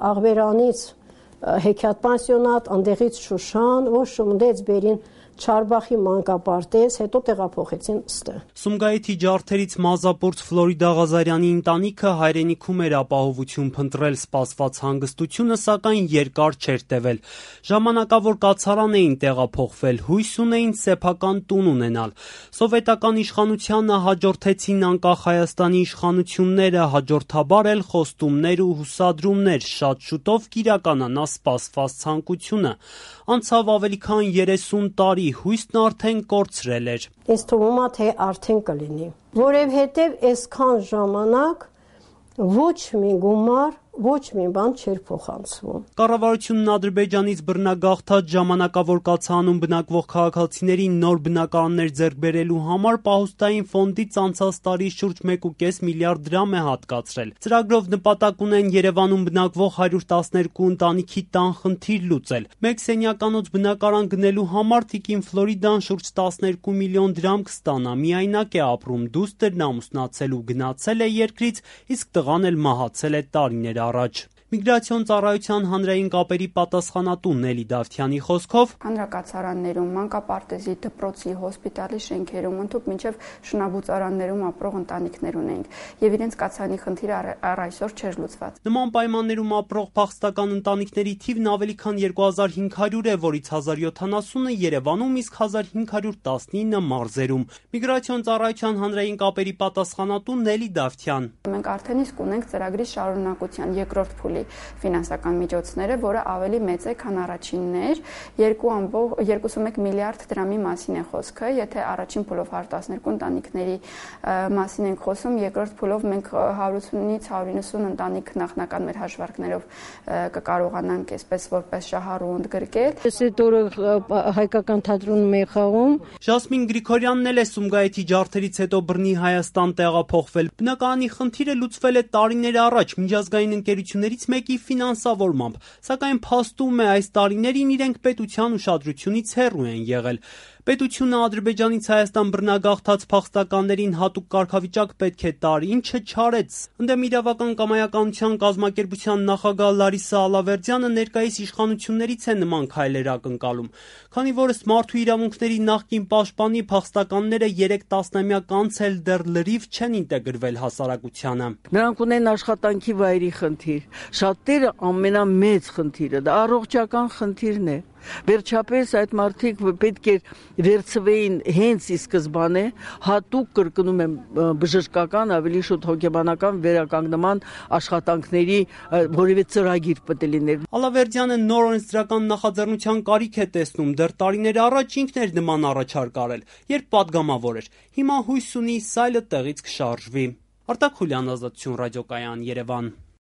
աղվերանից հեքիաթ պանսիոնատ, ընդեղից Շուշան, որ շմդեց բերին Չարբախի մանկապարտեզ, հետո տեղափոխեցին ստեղ։ Սումգայիթի ջարդերից մազապուրց Ֆլորիդա Ղազարյանի ընտանիքը հայրենիքում էր ապահովություն փնտրել, սպասված հանգստությունը սակայն երկար չէր տևել։ Ժամանակավոր կացարան էին տեղափոխվել, հույս ունեին սեփական տուն ունենալ։ Սովետական իշխանությանը հաջորդեցին անկախ Հայաստանի իշխանությունները, հաջորդաբար էլ խոստումներ ու հուսադրումներ, շատ շուտով կիրականանա սպասված ցանկությունը։ Անցավ ավելի քան 30 տարի, հույսն արդեն կորցրել էր։ Ինձ թվում է, թե արդեն կլինի, որովհետև այսքան ժամանակ ոչ մի գումար, ոչ մի բան չէր փոխանցվում։ Կառավարությունն Ադրբեջանից բռնագաղթած ժամանակավոր կացանում բնակվող քաղաքացիներին նոր բնակարաններ ձեռք բերելու համար պահուստային ֆոնդից անցած տարի շուրջ 1.5 միլիարդ դրամ է հատկացրել։ Ծրագրով նպատակ ունեն Երևանում բնակվող 112 ընտանիքի տան խնդիր լուծել։ Մեկ սենյականոց բնակարան գնելու համար Տիկին Ֆլորիդան շուրջ 12 միլիոն դրամ կստանա։ Միայնակ է ապրում, դուստրն ամուսնացել ու գնացել է երկրից, իսկ տղան էլ մահացել է տարիներ առաջ։ Միգրացիոն ծառայության հանրային կապերի պատասխանատու Նելի Դավթյանի խոսքով հանրակացարաններում, մանկապարտեզի, դպրոցի, հոսպիտալի շենքերում, ընդհուպ մինչև շնաբուծարաններում ապրող ընտանիքներ ունենք, եւ իրենց կացարանի խնդիրը առ այսօր չէր լուծված։ Նման պայմաններում ապրող փախստական ընտանիքների թիվն ավելի քան 2500 է, որից 1070-ը Երևանում, իսկ 1519-ը մարզերում։ Միգրացիոն ծառայության հանրային կապերի պատասխանատու Նելի Դավթյան. Մենք արդեն իսկ ունենք ծրագրի շարունակության երկրորդ փուլի ֆինանսական միջոցները, որը ավելի մեծ է, քան առաջիններ, 2.1 միլիարդ դրամի մասին է խոսքը, եթե առաջին փուլով 112 ընտանիքների մասին ենք խոսում, երկրորդ փուլով մենք 180-ից 190 ընտանիք նախնական մեր հաշվարկներով կկարողանանք այսպես որպես շահառու ընդգրկել։ Այս օրը հայկական թատրոնում է խաղում։ Ժասմին Գրիգորյանն էլ է Սումգայիթի ջարդերից հետո բռնի Հայաստան տեղափոխվել։ Բնակարանի խնդիրը լուծվել է տարիներ առաջ միջազգային ընկերություններից մեկի ֆինանսավորմամբ, սակայն փաստում է այս տարիներին իրենք պետության ուշադրությունից հեռու են եղել։ Պետությունը Ադրբեջանից Հայաստան բռնագաղթած փախստականներին հատուկ կարգավիճակ պետք է տար, ինչը չարեց։ Ընդդեմ իրավական կամայականության կազմակերպության նախագահ Լարիսա Ալավերդյանը ներկայիս իշխանություններից է նման քայլեր ակնկալում, քանի որ ըստ Մարդու իրավունքների նախկին պաշտպանի փախստականները 3 տասնամյակ անց էլ դեռ լրիվ չեն ինտեգրվել հասարակությանը։ Նրանք ունեն աշխատանքի վայրի խնդիր, շատերը ամենամեծ խնդիրը դա առողջական խնդիրն է։ Վերջապես այդ մարդիկ պետք է վերցվեին հենց ի սկզբանե հատուկ կրկնում եմ բժշկական, ավելի շուտ հոգեբանական վերականգնման աշխատանքների որևէ ծրագիր պետք է լիներ։ Ալավերդյանը նոր օրենսդրական նախաձեռնության կարիք է տեսնում, դեռ տարիներ առաջ ինքն էր նման առաջարկ արել, երբ պատգամավոր էր։ Հիմա հույս ունի սայլը տեղից կշարժվի։ Արտակ Խուլյան, Ազատություն ռադիոկայան, Երևան։